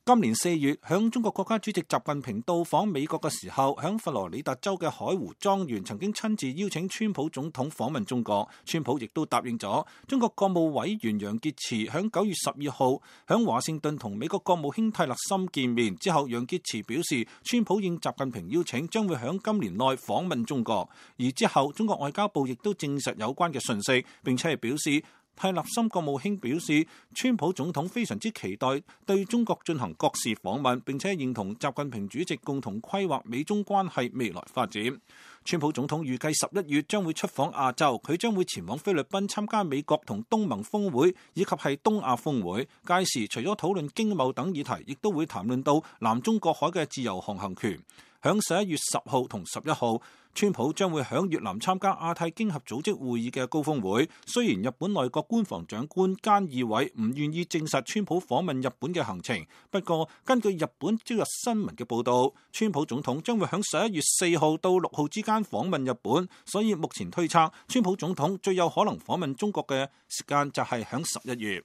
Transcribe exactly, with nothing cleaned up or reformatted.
今年四月，響中國國家主席習近平到訪美國嘅時候，響佛羅里達州嘅海湖莊園曾經親自邀請川普總統訪問中國。川普亦都答應咗。中國國務委員楊潔篪響九月十二號響華盛頓同美國國務卿蒂勒森見面之後，楊潔篪表示，川普應習近平邀請，將會響今年內訪問中國。而之後，中國外交部亦都證實有關嘅訊息，並且係表示，蒂勒森國務卿表示，川普總統非常之期待對中國進行國事訪問，並且認同習近平主席共同規劃美中關係未來發展。川普總統預計十一月將會出訪亞洲，佢將會前往菲律賓參加美國同東盟峰會以及係東亞峰會。屆時除咗討論經貿等議題，亦都會談論到南中國海嘅自由航行權。響十一月十號同十一號，川普將會響越南參加亞太經合組織會議嘅高峰會。雖然日本內閣官房長官菅義偉唔願意證實川普訪問日本嘅行程，不過根據日本朝日新聞嘅報道，川普總統將會響十一月四號到六號之間訪問日本，所以目前推測川普總統最有可能訪問中國嘅時間就係響十一月。